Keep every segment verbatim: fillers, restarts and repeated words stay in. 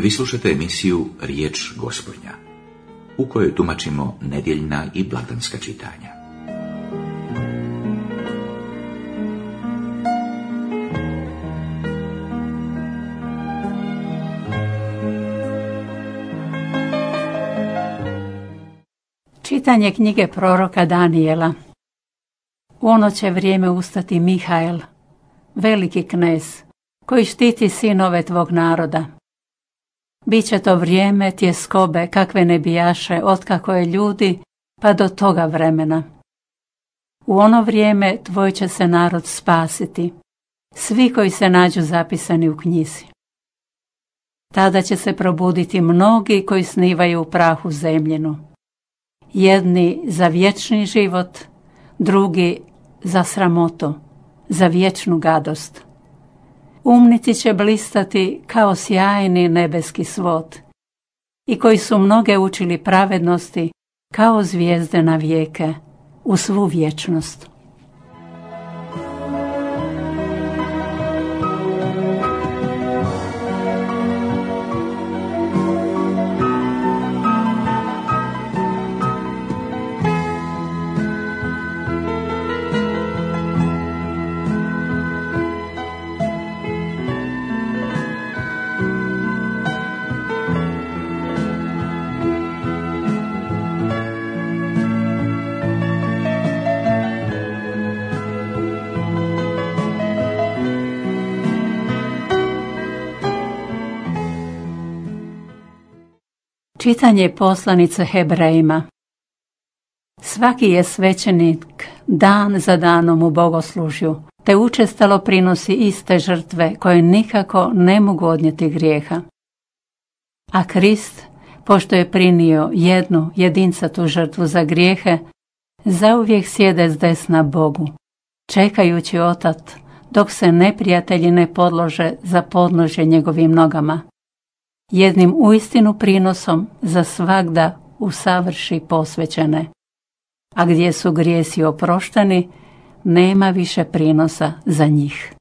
Vi slušate emisiju Riječ Gospodnja, u kojoj tumačimo nedjeljna i blagdanska čitanja. Čitanje knjige proroka Danijela. U ono će vrijeme ustati Mihael, veliki knez, koji štiti sinove tvog naroda. Biće to vrijeme tjeskobe kakve ne bijaše otkako je ljudi pa do toga vremena. U ono vrijeme tvoj će se narod spasiti, svi koji se nađu zapisani u knjizi. Tada će se probuditi mnogi koji snivaju u prahu zemljinu. Jedni za vječni život, drugi za sramotu, za vječnu gadost. Umnici će blistati kao sjajni nebeski svod, i koji su mnoge učili pravednosti kao zvijezde na vijeke, u svu vječnost. Čitanje poslanice Hebrejima. Svaki je svećenik dan za danom u bogoslužju, te učestalo prinosi iste žrtve koje nikako ne mogu odnijeti grijeha. A Krist, pošto je prinio jednu jedincatu žrtvu za grijehe, zauvijek sjede s desna Bogu, čekajući otat dok se neprijatelji ne podlože za podnožje njegovim nogama. Jednim uistinu prinosom za svagda usavrši posvećene. A gdje su grijesi oprošteni, nema više prinosa za njih.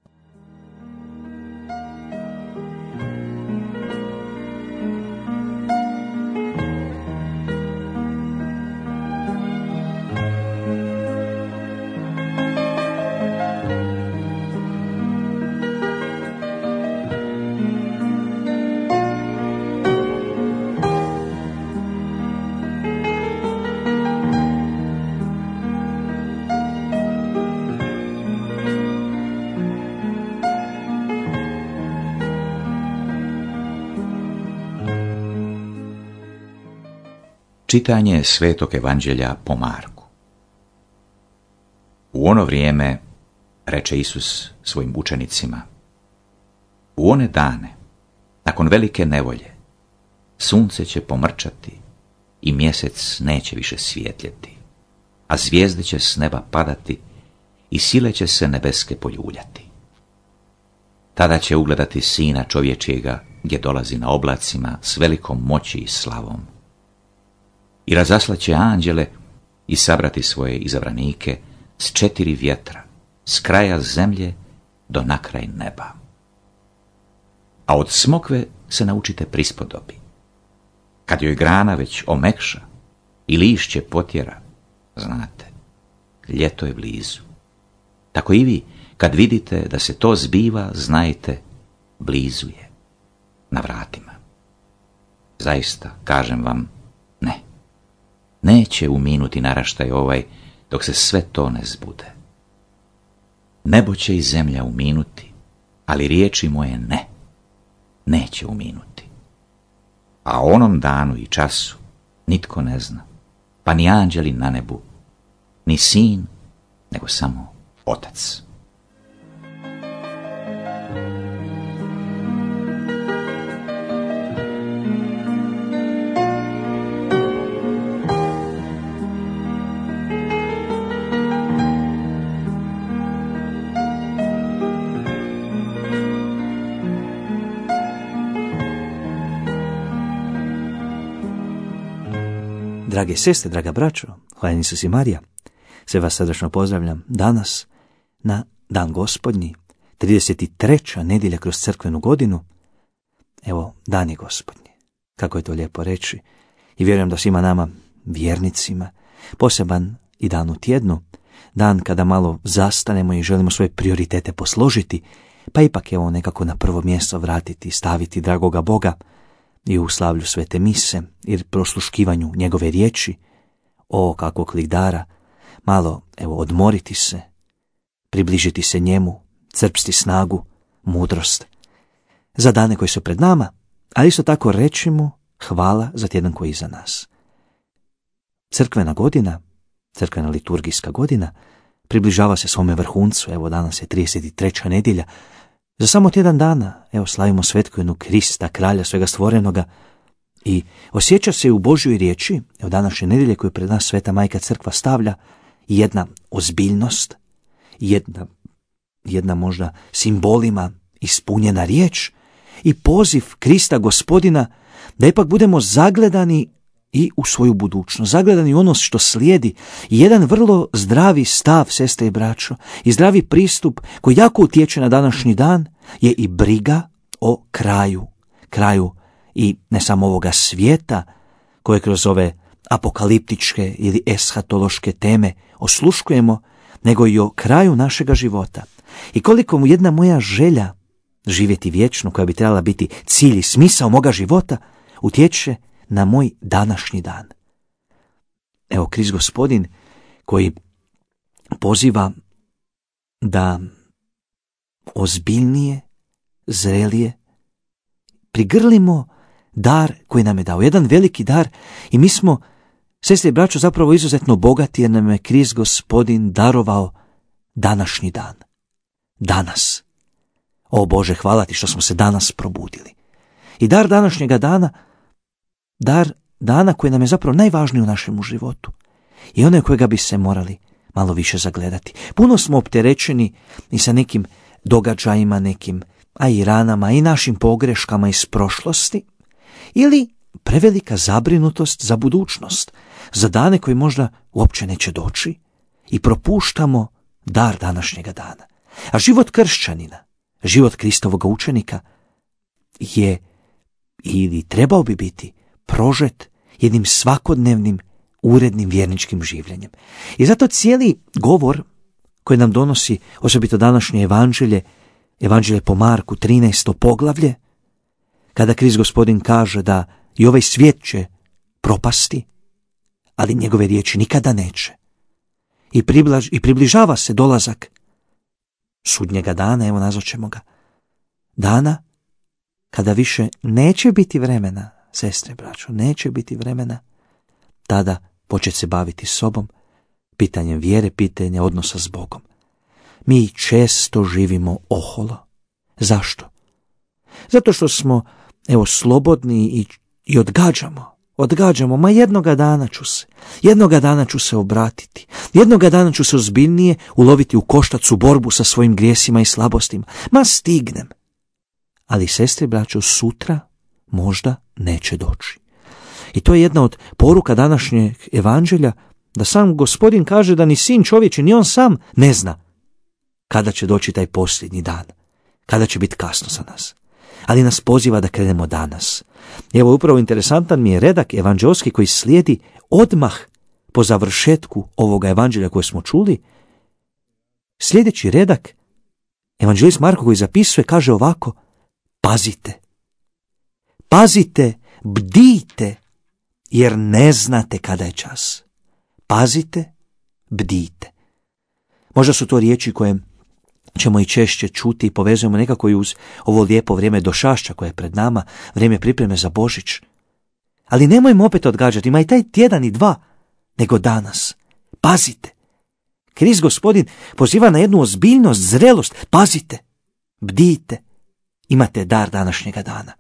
Čitanje Svetog Evanđelja po Marku. U ono vrijeme reče Isus svojim učenicima: U one dane, nakon velike nevolje, sunce će pomrčati i mjesec neće više svjetljeti, a zvijezde će s neba padati i sile će se nebeske poljuljati. Tada će ugledati Sina čovječijega gdje dolazi na oblacima s velikom moći i slavom. I razaslaće anđele i sabrati svoje izabranike s četiri vjetra, s kraja zemlje do nakraj neba. A od smokve se naučite prispodobi. Kad joj grana već omekša i lišće potjera, znate, ljeto je blizu. Tako i vi, kad vidite da se to zbiva, znajte, blizu je, na vratima. Zaista, kažem vam, ne. Neće uminuti naraštaj ovaj dok se sve to ne zbude. Nebo će i zemlja uminuti, ali riječi moje ne, neće uminuti. A o onom danu i času nitko ne zna, pa ni anđeli na nebu, ni sin, nego samo Otac. Drage sestre, draga braćo, hvala Isus i Marija, sve vas srdačno pozdravljam danas na Dan Gospodnji, trideset treća nedjelja kroz crkvenu godinu. evo, dan je Gospodnji. Kako je to lijepo reći. I vjerujem da svima nama, vjernicima, poseban i dan u tjednu, dan kada malo zastanemo i želimo svoje prioritete posložiti, pa ipak evo nekako na prvo mjesto vratiti, staviti dragoga Boga i u slavlju svete mise i prosluškivanju njegove riječi, o kakvog ligdara, malo evo odmoriti se, približiti se njemu, crpsti snagu, mudrost za dane koji su pred nama, ali isto tako reći mu hvala za tjedan koji je iza nas. Crkvena godina, crkvena liturgijska godina, približava se svome vrhuncu. Evo danas je trideset treća nedjelja. Za samo tjedan dana, evo, slavimo svetkovinu Krista, kralja svega stvorenoga, i osjeća se u Božjoj riječi, evo današnje nedjelje koju pred nas Sveta Majka Crkva stavlja, jedna ozbiljnost, jedna, jedna možda simbolima ispunjena riječ i poziv Krista Gospodina da ipak budemo zagledani i u svoju budućnost, zagledani u ono što slijedi. I jedan vrlo zdravi stav, sestre i braćo, i zdravi pristup koji jako utječe na današnji dan je i briga o kraju, kraju i ne samo ovoga svijeta koje kroz ove apokaliptičke ili eshatološke teme osluškujemo, nego i o kraju našega života. I koliko mu jedna moja želja živjeti vječno, koja bi trebala biti cilj i smisao moga života, utječe na moj današnji dan. Evo, Krist Gospodin koji poziva da ozbiljnije, zrelije prigrlimo dar koji nam je dao. Jedan veliki dar, i mi smo, sestre i braćo, zapravo izuzetno bogati jer nam je Krist Gospodin darovao današnji dan. Danas. O Bože, hvala ti što smo se danas probudili. I dar današnjega dana, dar dana koji nam je zapravo najvažniji u našemu životu, i onaj kojega bi se morali malo više zagledati. Puno smo opterećeni i sa nekim događajima, nekim, a i ranama, i našim pogreškama iz prošlosti, ili prevelika zabrinutost za budućnost, za dane koji možda uopće neće doći, i propuštamo dar današnjega dana. A život kršćanina, život Kristovog učenika je, ili trebao bi biti, prožet jednim svakodnevnim, urednim vjerničkim življenjem. I zato cijeli govor koji nam donosi osobito današnje evanđelje, evanđelje po Marku, trinaesto poglavlje, kada Krist Gospodin kaže da i ovaj svijet će propasti, ali njegove riječi nikada neće. I, približ, i približava se dolazak sudnjega dana, evo nazvaćemo ga, dana kada više neće biti vremena, sestre, braćo, neće biti vremena tada početi se baviti sobom, pitanjem vjere, pitanje odnosa s Bogom. Mi često živimo oholo. Zašto? Zato što smo, evo, slobodni i, i odgađamo. Odgađamo, ma jednoga dana ću se, jednoga dana ću se obratiti, jednoga dana ću se ozbiljnije uloviti u koštac u borbu sa svojim grijesima i slabostima. Ma stignem. Ali, sestre, braćo, sutra možda neće doći. I to je jedna od poruka današnjeg evanđelja, da sam Gospodin kaže da ni sin čovječi, ni on sam ne zna kada će doći taj posljednji dan, kada će biti kasno za nas. Ali nas poziva da krenemo danas. Evo, upravo interesantan mi je redak evanđelski koji slijedi odmah po završetku ovoga evanđelja koje smo čuli. Sljedeći redak, evanđelist Marko koji zapisuje, kaže ovako: pazite, pazite, bdijte, jer ne znate kada je čas. Pazite, bdijte. Možda su to riječi koje ćemo i češće čuti i povezujemo nekako i uz ovo lijepo vrijeme došašća koje je pred nama, vrijeme pripreme za Božić. Ali nemojmo opet odgađati, ima i taj tjedan i dva, nego danas. Pazite. Krist Gospodin poziva na jednu ozbiljnost, zrelost. Pazite, bdijte. Imate dar današnjega dana.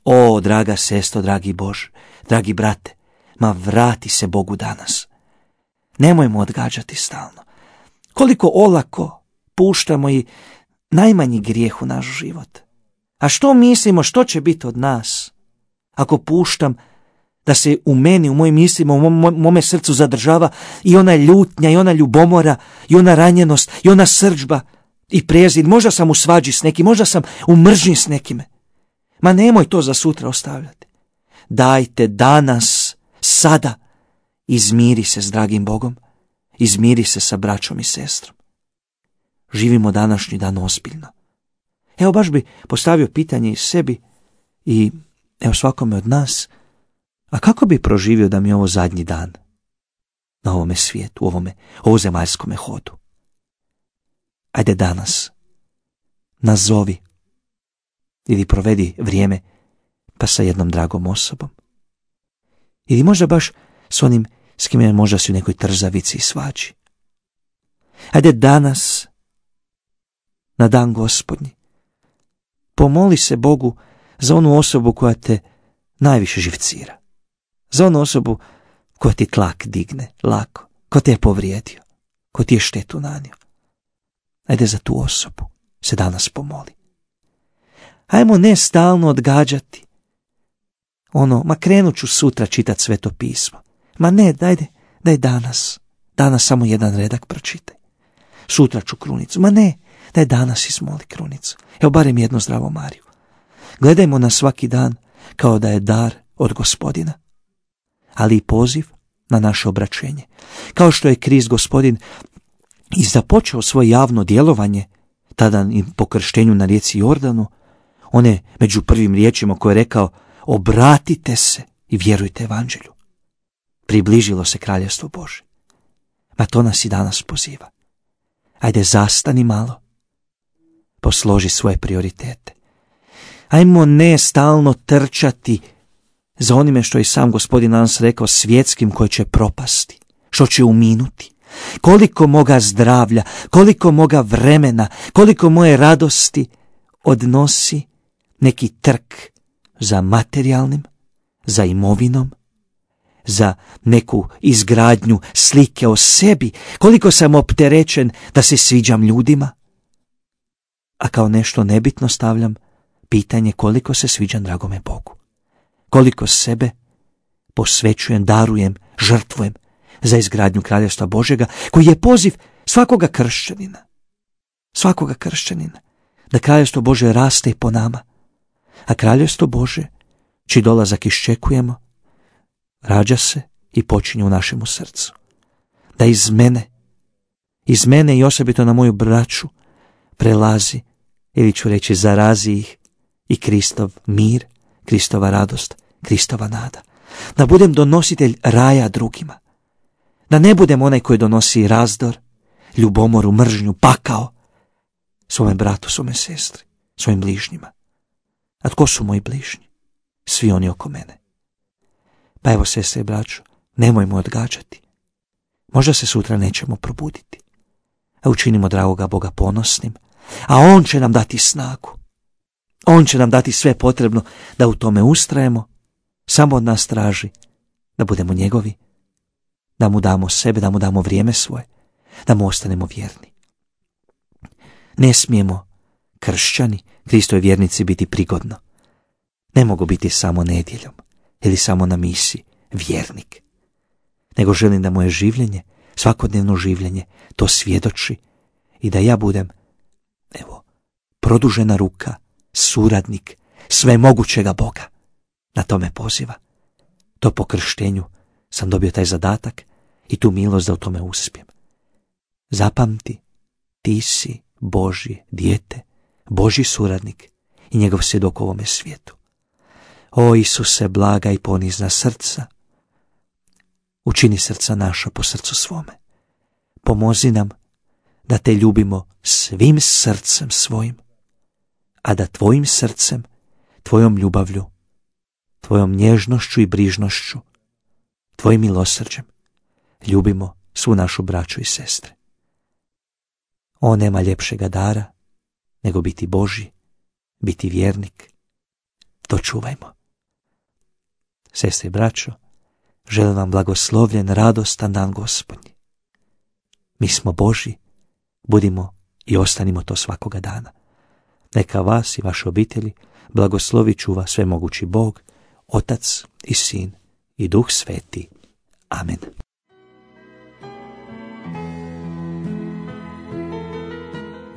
O, draga sestro, dragi Bože, dragi brate, ma vrati se Bogu danas. Nemojmo odgađati stalno. Koliko olako puštamo i najmanji grijeh u naš život. A što mislimo, što će biti od nas ako puštam da se u meni, u mojim mislima, u mom, mome srcu zadržava i ona ljutnja, i ona ljubomora, i ona ranjenost, i ona srdžba i prezir. Možda sam u svađi s nekim, možda sam u mržnji s nekime. Ma nemoj to za sutra ostavljati. Dajte danas, sada, izmiri se s dragim Bogom, izmiri se sa braćom i sestrom. Živimo današnji dan ozbiljno. Evo baš bi postavio pitanje i sebi i evo svakome od nas, a kako bi proživio da mi je ovo zadnji dan na ovome svijetu, u ovome ovozemaljskome hodu? Ajde danas, nazovi ili provedi vrijeme pa sa jednom dragom osobom. Ili možda baš s onim s kime možda si u nekoj trzavici i svađi. Ajde danas, na dan Gospodnji, pomoli se Bogu za onu osobu koja te najviše živcira. Za onu osobu koja ti tlak digne lako, ko te je povrijedio, ko ti je štetu nanio. Ajde za tu osobu se danas pomoli. Ajmo ne stalno odgađati. Ono, ma krenut ću sutra čitat Sveto pismo. Ma ne, dajde, daj danas. Danas samo jedan redak pročitaj. Sutra ću krunicu. Ma ne, daj danas izmoli krunicu. Evo barem jednu zdravo Mariju. Gledajmo na svaki dan kao da je dar od Gospodina, ali i poziv na naše obraćenje. Kao što je Krist Gospodin i započeo svoje javno djelovanje, tada i po krštenju na rijeci Jordanu, on je među prvim riječima koje je rekao: obratite se i vjerujte evanđelju. Približilo se kraljevstvo Božje. Ma to nas i danas poziva. Ajde zastani malo, posloži svoje prioritete. Ajmo ne stalno trčati za onime što je sam Gospodin nas rekao, svjetskim, koje će propasti, što će uminuti. Koliko moga zdravlja, koliko moga vremena, koliko moje radosti odnosi neki trk za materijalnim, za imovinom, za neku izgradnju slike o sebi, koliko sam opterećen da se sviđam ljudima, a kao nešto nebitno stavljam pitanje koliko se sviđam dragome Bogu, koliko sebe posvećujem, darujem, žrtvujem za izgradnju kraljevstva Božjega, koji je poziv svakoga kršćanina, svakoga kršćanina, da kraljevstvo Božje raste i po nama, a kraljevstvo Božje, čiji dolazak iščekujemo, rađa se i počinje u našemu srcu. Da iz mene, iz mene i osobito na moju braću prelazi, ili ću reći zarazi ih, i Kristov mir, Kristova radost, Kristova nada. Da budem donositelj raja drugima. Da ne budem onaj koji donosi razdor, ljubomoru, mržnju, pakao svome bratu, svome sestri, svojim bližnjima. A tko su moji bližnji? Svi oni oko mene. Pa evo, sestre i braćo, nemojmo odgađati. Možda se sutra nećemo probuditi, a učinimo dragoga Boga ponosnim, a On će nam dati snagu. On će nam dati sve potrebno da u tome ustrajemo, samo od nas traži da budemo njegovi, da mu damo sebe, da mu damo vrijeme svoje, da mu ostanemo vjerni. Ne smijemo kršćani, Kristovi vjernici, biti prigodno. Ne mogu biti samo nedjeljom ili samo na misi vjernik, nego želim da moje življenje, svakodnevno življenje, to svjedoči i da ja budem, evo, produžena ruka, suradnik svemogućega Boga. Na to me poziva. To po krštenju sam dobio taj zadatak i tu milost da u tome uspijem. Zapamti, ti si Božje dijete, Božji suradnik i njegov svjedok u ovome svijetu. O Isuse, blaga i ponizna srca, učini srca naša po srcu svome. Pomozi nam da te ljubimo svim srcem svojim, a da tvojim srcem, tvojom ljubavlju, tvojom nježnošću i brižnošću, tvojim milosrđem ljubimo svu našu braću i sestre. O, nema ljepšega dara nego biti Božji, biti vjernik. To čuvajmo. Sestre i braćo, želim vam blagoslovljen, radostan dan Gospodnji. Mi smo Božji, budimo i ostanimo to svakoga dana. Neka vas i vaše obitelji blagoslovi, čuva svemogući Bog, Otac i Sin i Duh Sveti. Amen.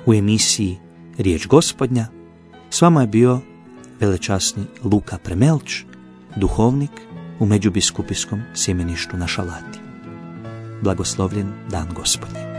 U emisiji Riječ Gospodnja s vama je bio velečasni Luka Premelč, duhovnik u Međubiskupijskom sjemeništu na Šalati. Blagoslovljen dan Gospodnji.